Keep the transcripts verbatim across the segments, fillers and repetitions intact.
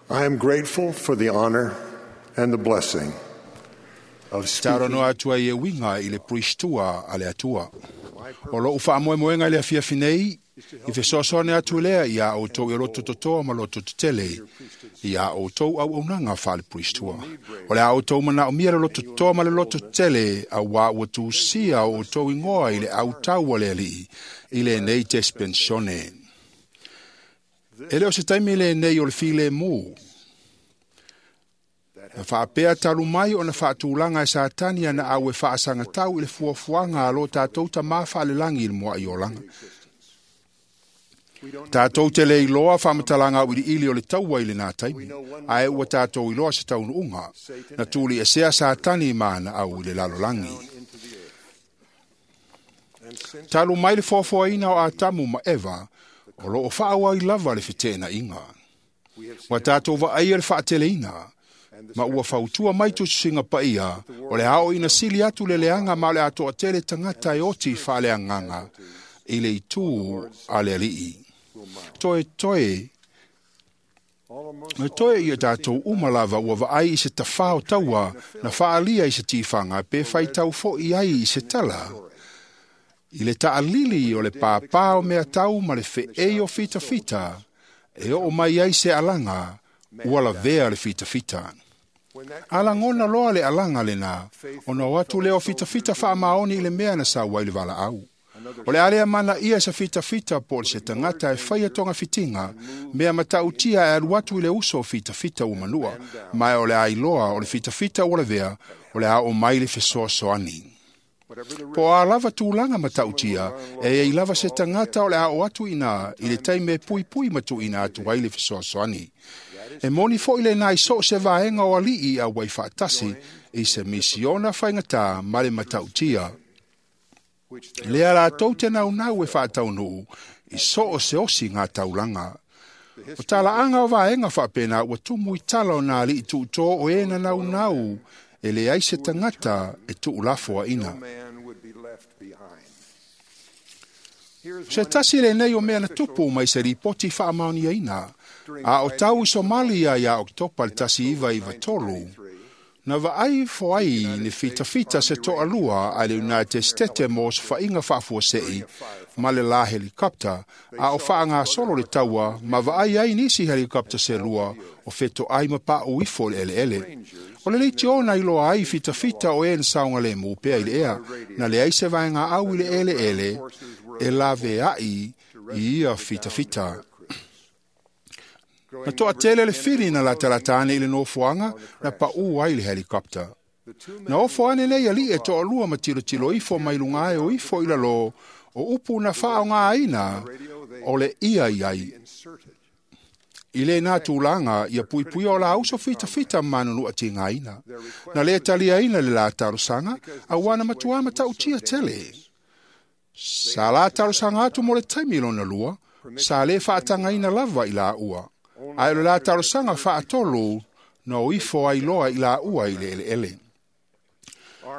I am grateful for the honor and the blessing of Taro speaking no atua i e winga i le puistua a le atua. O lou faamoemoega i le afiafi nei, i fesoasoani atu lea ia outou i loto totoa ma loto tetele, ia outou auaunaga faale-puistua. O le a outou manaomia le loto totoa ma le loto tetele, auā ua tusia o outou igoa i le autau a le Alii, i lenei tespensione. E le o se taimi lenei o le filemu. Na faapea talu mai ona faatulaga e Satani ana au e faasagatau i le fuafuaga a lo tatou Tamā faalelagi i le mua'i olaga. Tatou te le iloa faamatalaga auiliili o le taua i lenā taimi, ae ua tatou iloa se taunuuga, na tuliesea Satani ma ana au i le lalolagi. Talu mai le foafoaina o Atamu ma Eva, o loo faaauau lava le feteenaiga. Ua tatou vaaia le faateleina, ma ua fautua mai tusitusiga paia, o le ao ina sili atu le leaga ma o le atoa tele tagata e oti faaleagaga i le itu a le Alii. Toe toe, toe ia tatou uma lava ua vaai i se tafā o taua na faalia i se tifaga pe faitau fo'i ai i se tala. I le taalili o le pāpā o mea tau ma le feei o fitafita, e oo mai ai se alaga, ua lavea le fitafita. Alagona loa le alaga lenā, ona o atu lea o fitafita faamaoni i le mea na sau ai le valaau. O le alea mana ia se fitafita po o se tagata e faia togafitiga, mea matautia e alu atu i le uso o fitafita ua manua, ma o le a iloa o le fitafita ua lavea, o le a oo mai le fesoasoani. Po o a lava tulaga matautia, e iai lava se tagata o le a oo atu iinā i le taimi e puipui ma tuuina atu ai le fesoasoani. E moni fo'i lenā i so o se vaega o alii i auai faatasi i se misiona faigatā ma le matautia. Lea latou te naunau e faataunuu i so o se osi ngā taulaga. O talaaga o vaega faapena ua tumu i tala o nā alii tuutō o e na naunau e leai se tagata e tuulafoaina. No man would be left behind. Here's Se tasi lenei o mea na tupu mai se ripoti faamaoniaina, a o tau i Somalia ia Oketopa le tasi iva iva tolu, na vaai foai ni fitafita se toalua a le United States mo se faiga faafuasei ma le la helikopta, a o faagasolo le taua ma vaai ai nisi helikopta se lua o fetoai ma paʻu ifo i le eleele. O le leitio na iloa ai fitafita o e na saogalemu pea i le ea, na leai se vaegaau i le eleele e laveai i ia fitafita. Na toatele le fili na latalata ane i le nofoaga na paʻu ai le helikopta. Na ofo ane nei alii e toalua ma tilotilo ifo mai luga ae o ifo i lalo o upu na faaaogāina o le ia i ai. I lenā tulaga ia puipuia o la uso fitafita ma manunua tigaina. Na le taliaina le la talosaga, auā na matuā matautia tele. Sa la talosaga atu mo le taimi lona lua, sa lē faatagaina lava i laua. Ae o le la talosaga faatolu na o ifo ai loa i laua i le eleele.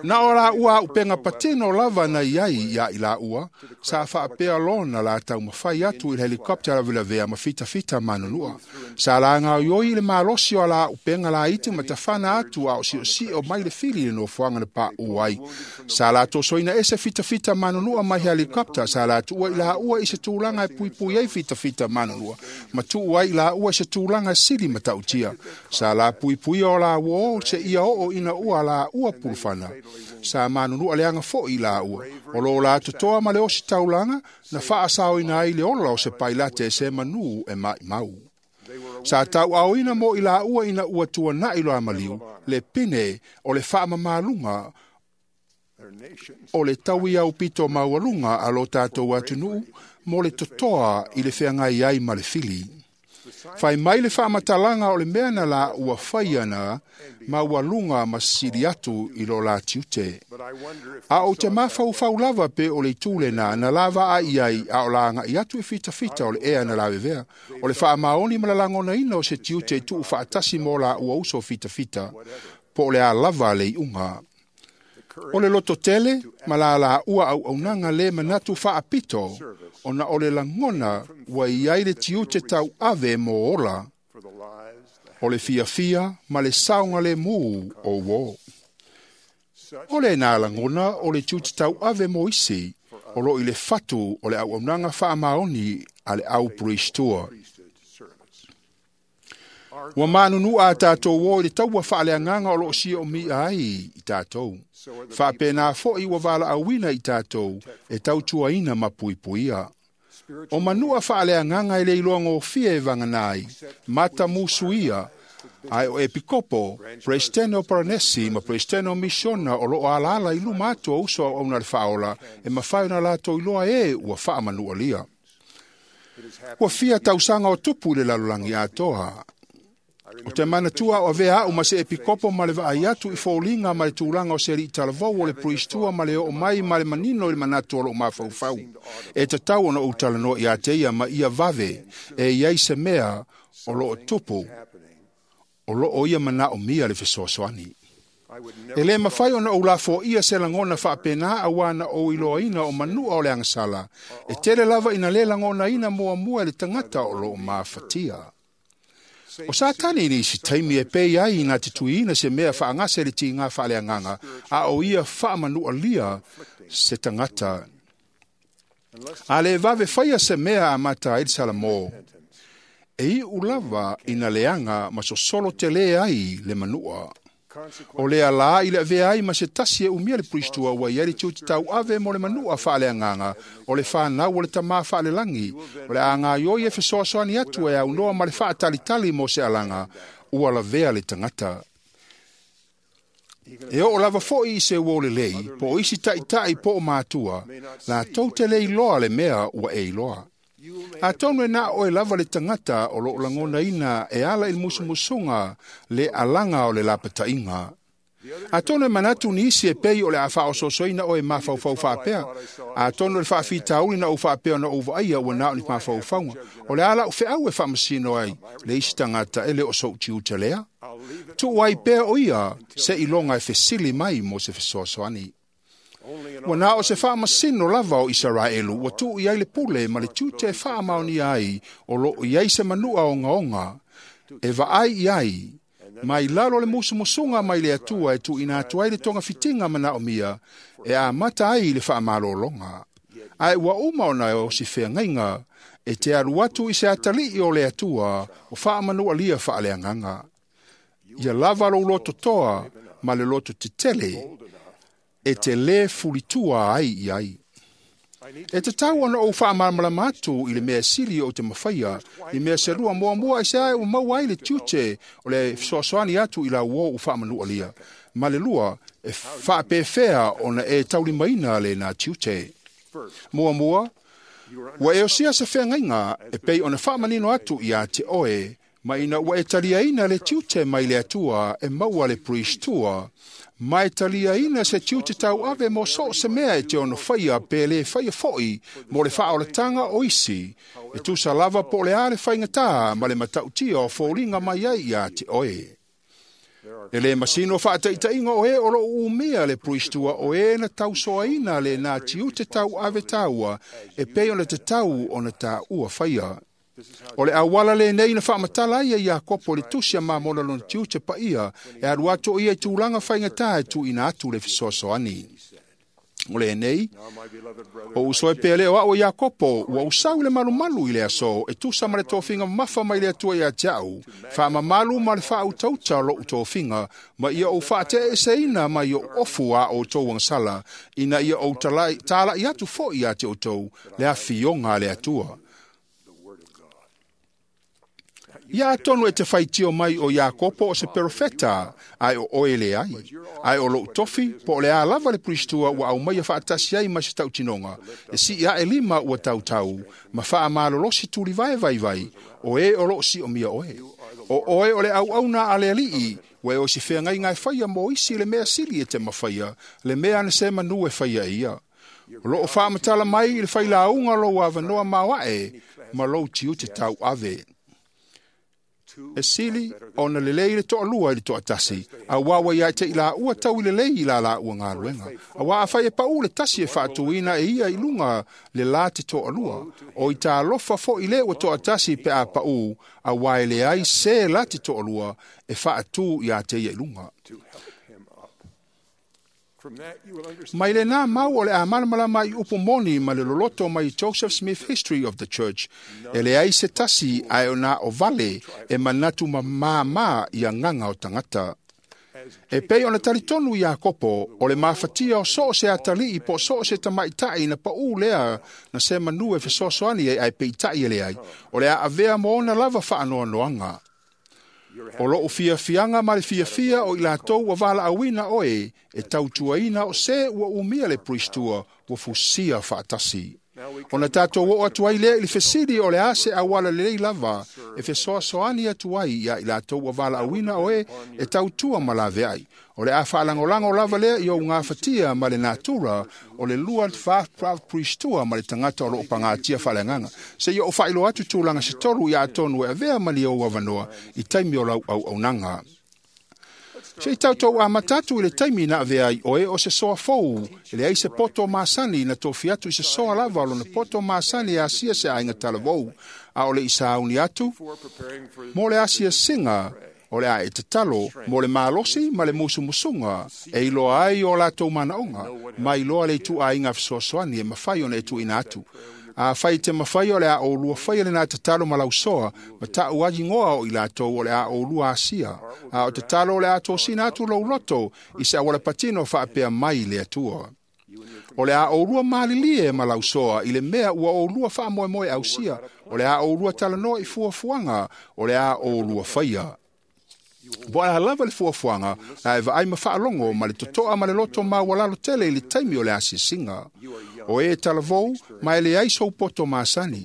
Na o laua auupega patino lava na iai ia i laua, sa faapea lona la taumafai atu i le helikopta lavelavea ma fitafita manunua. Sa lagaoioi i le malosi o la auupega laiti ma tafana atu a o siosio mai le fili i le nofoaga na paʻu ai. Sa la tosoina ese fitafita manunua mai helikopta, sa la tuua i laua i se tulaga e puipui ai fitafita manunua, ma tuu ai i laua i se tulaga sili matautia. Sa la puipuia o la uo se ia oo ina ua laua pulufana. Sa manunua leaga fo'i i laua. O lo la totoa ma le osi taulaga na faasaoina ai le ola o se pailate se manū e maimau. Sa tauaaoina mo i laua ina ua tuana'i loa maliu, le pine o le faamamaluga their nations o le taui aupito maualuga a lo tatou atunuu mo le totoa i le feagai ai ma le fili. Fai mai le faamatalaga o le mea na la ua fai ana maualuga ma sili atu i lo la tiute. But I wonder if A o te mafaufau lava pe o le itu lenā na lava ai ai a o la agaʻi atu i fitafita o le ea na lavevea. O le faamaoni ma le lagonaina o se tiute i tuu faatasi mo la ua uso fitafita, po o le a lava le iuga. O le loto tele ma la la ua auaunaga le manatu faapito, ona o le lagona ua iai le tiute tauave mo ola. O le fiafia ma le saoga le mū o uō. O le nā lagona o le tiute tauave mo isi o loo i le fatu o le auaunaga faamaoni a le au priest-tua. Ua manunu'a a tatou o i le taua faaleagaga o loo siomia ai i tatou. Faapena fo'i ua valaauina i tatou e tautuaina ma puipuia. O manu'a faaleagaga e le iloa gofie e vagana ai, matamusuia, ae o epikopo, Peresetene o Paranesi ma Peresetene o Misiona o loo alaala i luma atu o uso auauna a le Faaola e mafai ona latou iloa e ua faamanualia. Ua fia tausaga o tupu i le lalolagi atoa. O te manatua o avea au ma se epikopo ma le vaai atu i foliga ma le tulaga o se alii talavou o le priest-tua ma le oo mai ma le manino i le manatu o lou mafaufau. E tatau ona ou talanoa ia te ia ma ia vave e iai se mea o loo tupu o loo ia manaomia le fesoasoani. E le mafai ona ou lafoia se lagona faapena auā na ou iloaina o manu'a o le agasala, e tele lava ina le lagonaina muamua e le tagata o loo mafatia. O Satani ni isi taimi e pei ai na te tuiina se mea faagase le tiga faaleagaga, a o ia faamanualia se tagata. A le vave faia se mea amata ai le Salamo, e iu lava ina leaga ma sosolo tele ai le manu'a. O le alā i le avea ai ma se tasi e umia le priest-tua ua iai le tiute tauave mo le manu'a faaleagaga o le fanau o le tamā faalelagi, o le a gaioi e fesoasoani atu e aunoa ma le faatalitali mo se alaga, ua lavea le tagata. E oo lava fo'i i se uō lelei, po o isi taʻitaʻi po o matua, latou te le iloa le mea ua e iloa. Atonu e na oe lava le tagata o loo lagonaina e ala i le musumusuga le alaga o le lapataiga. Atonu e manatu nisi e pei o le a faaosoosoina oe mafaufau faapea. Atonu le faafitauli na ou faapea na ou vaaia ua na o ni mafaufauga. O le ala o feau e faamasino ai le isi tagata e le o sou tiute lea. Tuu ai pea o ia se iloga e fesili mai mo se fesoasoani. Ua na o se faamasino lava o Isaraelu ua tuu i ai le pule ma le tiute e faamaonia ai o loo i ai se manu'a ogaoga e vaai i ai mai lalo le musumusuga mai le Atua e tuuina atu ai le togafitiga manaomia e amata ai le faamalologa. Ae ua uma ona o si feagaiga e te alu atu i se atalii o le Atua o faamanualia faaleagaga. Ia lava lou lototoa ma le loto tetele e te lē fulitua ai i ai. E tatau ona ou faamalamalama atu i le mea sili o te mafaia, i mea selua muamua i se ae ua maua ai le tiute o le fesoasoani atu i lau o u faamanualia. Ma le lua, e faapefea ona e taulimaina le nā tiute. Muamua, ua e osia se feagaiga e pei ona faamanino atu ia te oe, ma ina ua e taliaina le tiute mai le Atua e maua le priest-tua, ma e taliaina se tiute tauave mo so se mea e te ono faia pe le faia fo'i mo le faaolataga o isi, e tusa lava po o le a le faigatā ma le matautia o foliga mai ai ia te oe. E le masino faataitaiga o e o loo umia le priest-tua o e na tausoaina le nā tiute tauave taua e pei ona tatau ona tāua faia. O le auala lenei na faamatala ai e Iakopo le tusi a Mamona lona tiute paia e alu atu o ia i tulaga faigatā e tuuina atu le fesoasoani. O lenei, o uso e pea leo au e Iakopo, ua usau le malumalu i le aso, e tusa ma le tofiga mamafa mai le Atua ia te au, faamamalu ma le faautauta o lou tofiga, ma ia ou faateeseina mai ou ofu a outou agasala, ina ia ou talai, talai atu fo'i ia te outou le afioga a le Atua. Ia atonu e te faitio mai o Iakopo o se perofeta, ae o oe le ai. Ae o lou tofi, po o le a lava le priest-tua ua aumaia faatasi ai ma se tautinoga, e sii ae lima ua tautau, ma faamalolosi tulivae vaivai, o e o loo siomia oe. O oe o le auauna a le alii, ua e o si feagaiga e faia mo isi le mea sili e te mafaia, le mea na se manu e faia e ia. O loo faamatala mai i le failauga lou avanoa maoae, ma lou tiute tauave. E sili ona lelei le toalua i le toatasi, auā ua ia te i laua tau i lelei i la laua galuega. Auā afai e paʻu le tasi e faatuina e ia i luga le la te toalua, o i talofa foʻi lē ua toatasi pe a paʻu, auā e leai se la te toalua e faatū iā te ia i luga. To help him up. From that you will understand Mai lenā mau o le a malamalama i upu moni ma le loloto mai Joseph Smith History of the Church, e leai se tasi ae o na o vale e manatu mamāmā i agaga o tagata. as E pei ona talitonu Iakopo, o le mafatia o so o se atalii po o so o se tamaitaʻi na paʻū lea na se manu e fesoasoani ai ae peitaʻi e leai, o le a avea mo ona lava faanoanoaga. O lou fiafiaga ma le fiafia o i latou ua valaauina oe e tautuaina o se ua umia le puristua ua fusia faatasi. Ona tatou oo atu ai lea i le fesili o le a se auala lelei lava e fesoasoani atu ai iā i latou ua valaauina oe e tautua ma laveai. O le a faalagolago lava lea i ou gafatia ma le natura o le lua puristua ma le tagata o loo pagatia faaleagaga. Seia ou faailoa atu tulaga se tolu ia atonu e avea ma ni ou avanoa i taimi o lau auaunaga. Se i tautou amata atu i le taimi na avea ai oe o se soa fou, e leai se poto masani na tofi atu i se soa lava o lona poto masani e asia se aiga talavou, a o le i sauni atu, before preparing for mo le asiasiga, o le a e tatalo mo le malosi ma le musumusuga e iloa ai o latou manaoga, ma iloa le ituaiga fesoasoani e mafai ona e tuuina atu. Afai te mafai o le a oulua faia lenā tatalo ma lausoa, ma taʻu agigoa o i latou o le a oulua asia. A o tatalo o le a tosina atu lou loto i se auala patino faapea mai le Atua. O le a oulua malilie ma lausoa i le mea ua oulua faamoemoe ausia. O le a oulua talanoa i fuafuaga, o le a oulua faia. Po o le a lava le fuafuaga, a e vaai ma faalogo ma le totoa ma le loto maualalo tele i le taimi o le asiasiga. O e talavou, ma e leai sou poto masani.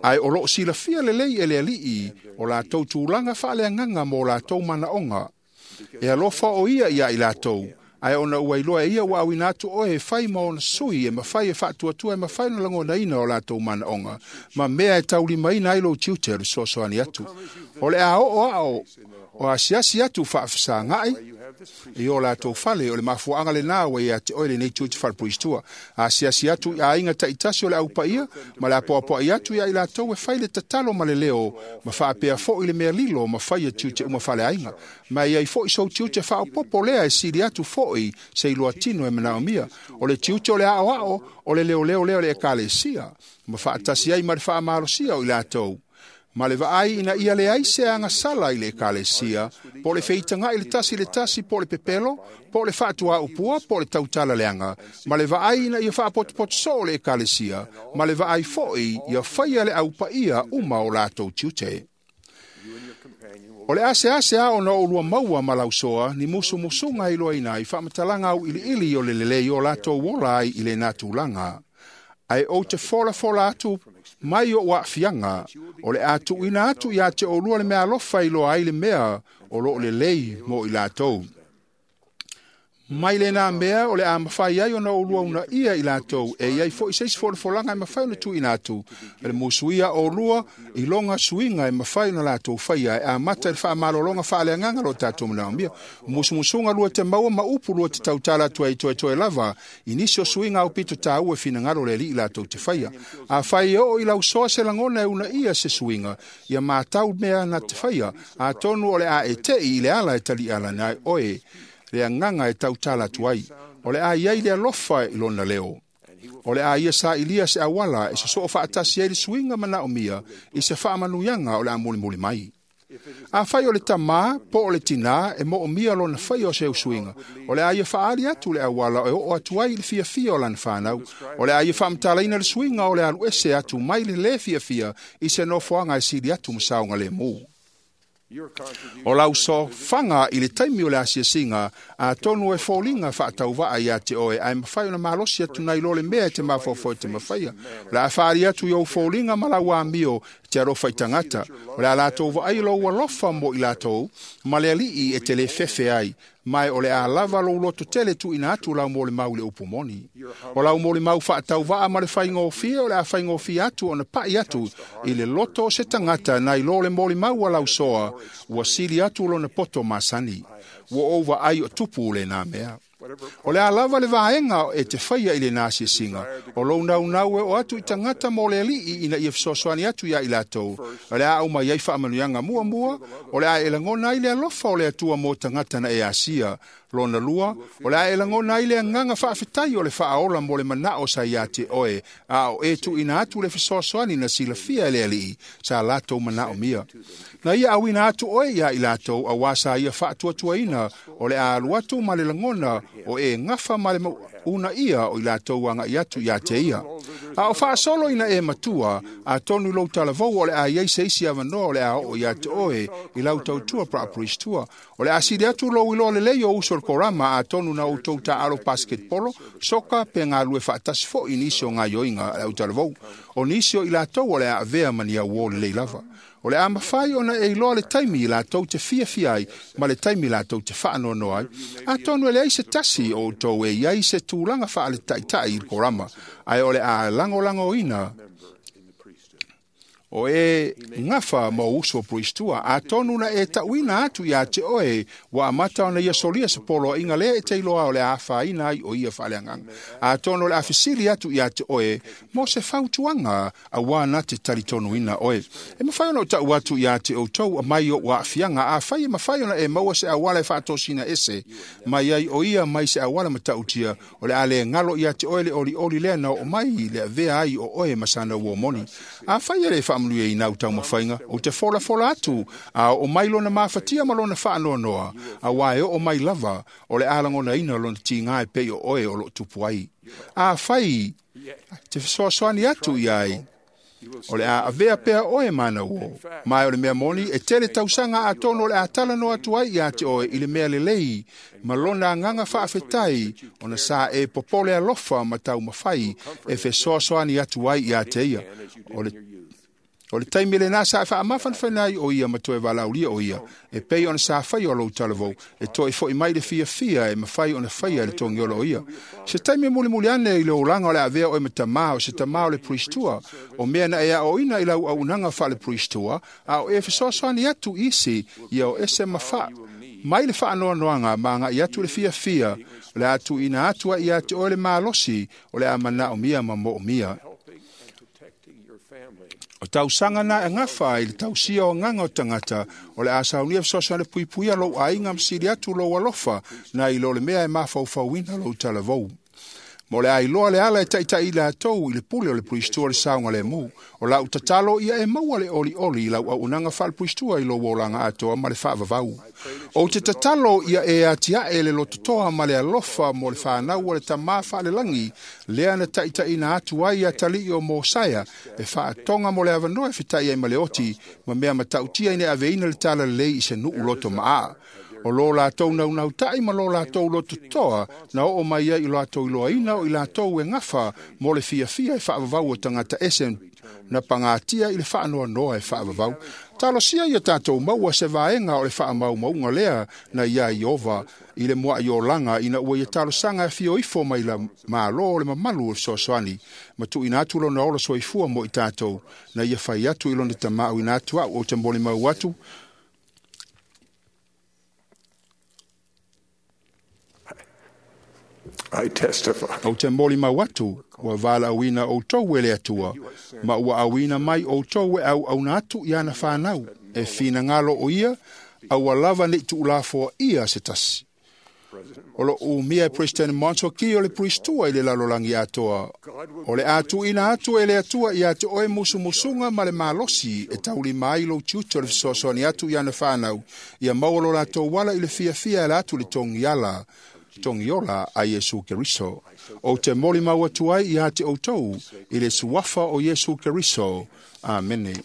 Ae o loo silafia lelei e le Alii o latou tulaga faaleagaga mo latou manaoga. E alofa o ia iā i latou, ae ona ua iloa e ia ua auina atu oe e fai ma ona sui e mafai e faatuatua e mafai ona lagonaina o latou manaoga, ma mea e taulimaina ai lou tiute o le fesoasoani atu. O le a oo ao o asiasi atu faafesagaʻi you have this i o latou fale, o le mafuaaga lenā ua ia te oe lenei tiute falepuristua. Asiasi atu i aiga taitasi o le aupaia, ma le apoapoai atu ia i latou e fai le tatalo ma le leo, ma faapea foʻi le mea lilo ma faia tiute uma faleaiga. Ma e iai foʻi sou tiute faaopopo lea e sili atu foʻi se iloa tino e manaomia. O le tiute o le aoao, o le leoleo lea o le ekalesia, ma faatasi ai ma le faamalosia o i latou. Ma le vaai ina ia leai se agasala i le ekalesia, po o le feitagaʻi le tasi le tasi, po o le pepelo, po o le faatuaupua, po o le tautala leaga, ma le vaai ina ia faapotopoto soo le ekalesia, ma le vaai foʻi ia faia le aupaia uma o latou tiute. you and your companion will O le asease a ona oulua maua ma lausoa ni musumusuga e iloaina ai faamatalaga auiliili o le lelei o latou ola ai i lenā tulaga. Ae ou te folafola atu mai ou aafiaga, o le a tuuina atu iā te oulua le meaalofa e iloa ai le mea o loo lelei mo i latou. Mai lenā mea o le a mafai ai ona oulua uunaia i latou, e iai foʻi se isi folafolaga e mafai ona tuuina atu, e le musuia oulua i loga suiga e mafai ona latou faia e amata i le faamalologa faaleagaga lo tatou manaomia. Musumusuga lua te maua ma upu lua te tautala atu ai toetoe lava i nisi o suiga aupito taua e finagalo le Alii latou te faia. Afai e oo i lausoa se lagona e uunaia se suiga, ia matau mea na te faia, atonu o le a e teʻi i le ala e taliʻala ai oe le agaga e tautala atu ai. O le a iai le alofa i lona leo. O le a ia sailia se auala e sosoo faatasi ai le suiga manaomia i se faamanuiaga o le a mulimuli mai. Afai o le tamā po o le tinā e moomia lona faia o se usuiga, o le a ia faaali atu le auala e oo atu ai i le fiafia o lana fanau. O le a ia faamatalaina le suiga o le alu ese atu mai le lē fiafia i se nofoaga e sili atu ma saogalemu. your contribution O lau sofaga i le taimi o le asiasiga, atonu e foliga faatauvaa iā te oe, ae mafai ona malosi atu nai lo le mea e te mafaufau e te mafaia. O le a faali atu i ou foliga ma lau amio Te alofa i tagata, o le a latou vaai lou alofa mo i latou, ma le alii e te le fefe ai, mai o le a lava lou loto tele tuuina atu lau molimau i le upu moni. O lau molimau faatauvaa ma le faigofie o le a faigofie atu ona pa'i atu i le loto o se tagata nai lo le molimau a lau soa, ua sili atu lona poto masani. Ua ou vaai o tupu lena mea. O le a lava le vaega e te faia i lena asiasiga, o lou naunau e o atu i tagata mo le alii ina ia fesoasoani atu ia i latou, o le a aumai ai faamanuiaga muamua, o le a e lagona ai le alofa o le Atua mo tagata na e asia. Lona lua, o le a e lagona ai le agaga faafetai o le faaola mo le manao sa ia te oe, a o e tuuina atu le fesoasoani na silafia e le alii, sa latou manaomia. Na ia auina atu oe ia i latou, auā sa ia faatuatuaina, o le a alu atu ma le lagona o e gafa ma le uunaia o i latou agai atu ia te ia. A o faasolo ina e matua, atonu i lou talavou o le a iai se isi avanoa o le a oo ia te oe i lau tautua praapriestua. O le a sili atu lou iloa lelei o uso o le korama atonu na outou taalo basketbolo, soka pe galue faatasi foi i nisi o gaioiga a le autalavou. O nisi o i latou o le a avea ma ni auō lelei lava. O le a mafai ona e iloa le taimi i latou te fiafia ai ma le taimi latou te faanoanoa ai. Atonu e leai se tasi o outou e iai se tulaga faaletaitai i le korama, ae o le a lagolagoina o e gafa ma o uso priestua. Atonu na e tauina atu ia te oe, ua amata ona ia solia se poloaiga lea e te iloa o le a afaina ai o ia faaleagaga. Atonu o le a fesili atu ia te oe mo se fautuaga auā na te talitonuina oe. E mafai ona ou tau atu ia te outou mai o aafiaga, afai e mafai ona e maua se auala e faatosina ese mai ai o ia mai se auala matautia, o le a le galo ia te oe le olioli lea na oo mai le avea ai o oe ma sana uomoni. Afai e le faamanuia i nau taumafaiga, ou te folafola atu, a oo mai lona mafatia ma lona faanoanoa, auā e oo mai lava, o le a lagonaina lona tiga e pei o oe o loo tupu ai. Afai te fesoasoani atu iai, o le a avea pea oe mana uo. Mai o le mea moni, e tele tausaga atonu o le a talanoa atu ai ia te oe i le mea lelei, ma lona agaga faafetai, ona sa e popole alofa ma taumafai e fesoasoani atu ai ia te ia. O le O le taimi lena sa e faamafanafana ai o ia ma toe valaaulia o ia, e pei ona sa faia o lou talavou, e toe foi mai le fiafia e mafai ona faia le togiola o ia. Se taimi mulimuli ane i le olaga o le avea oe ma tamā, o se tamā o le priestua, o mea na e aoina i lau auunaga faale-priestua, a o e fesoasoani atu isi, ia o ese ma faa mai le faanoanoaga ma agai atu le fiafia, o le a tuuina atu ai ia te oe le malosi, o le a manaomia ma moomia. O tausaga na e gafa i le tausia o agaga o tagata, o le a saunia fesoasoani puipuia lou aiga ma sili atu lou alofa, na i lo le mea e mafaufauina lou talavou. Mo le a iloa le ala e taitai i latou i le pule o le priestua le saogalemu. O lau tatalo ia e maua le olioli i lau auunaga faale-priestua i lou olaga atoa ma le faavavau. Ou te tatalo ia e atiae le lototoa ma le alofa mo le fanau o le tamā faalelagi, lea na taitaiina atu ai atalii o Mosaia, e faatoga mo le avanoa e fetai ai ma le oti, ma mea matautia ina aveina le talalelei i se nuu loto maa. O lo latou naunautai ma lo latou lototoa na oo mai ai i latou iloaina o i latou e gafa mo le fiafia e faavavau o tagata ese na pagatia i le faanoanoa e faavavau. Talosia ia tatou maua se vaega o le faamaumauga lea na ia Iova i le mua'i olaga ina ua ia talosaga e fio ifo mai la malo o le mamalu o le fesoasoani, ma tuuina atu lona ola soifua mo i tatou, na ia fai atu i lona tama'auina atu a'u ou te molimau atu. I testify. Ou te molimau atu, ua valaauina outou e le Atua, ma ua auina mai outou e auauna atu i ana fanau, e finagalo o ia, aua lava nei tuulafoaia se tasi. O lo umia e President Monson ki o le priestua i le lalolagi atoa. O le a tuuina atu e le Atua ia te oe musumusuga ma le malosi e taulima ai lou tiute o le fesoasoani atu i ana fanau, ia maua lo latou ala i le fiafia e la atu le togiala togiola a Iesu Keriso. Ou te molimau atu ai ia te outou i le suafa o Iesu Keriso. Amene.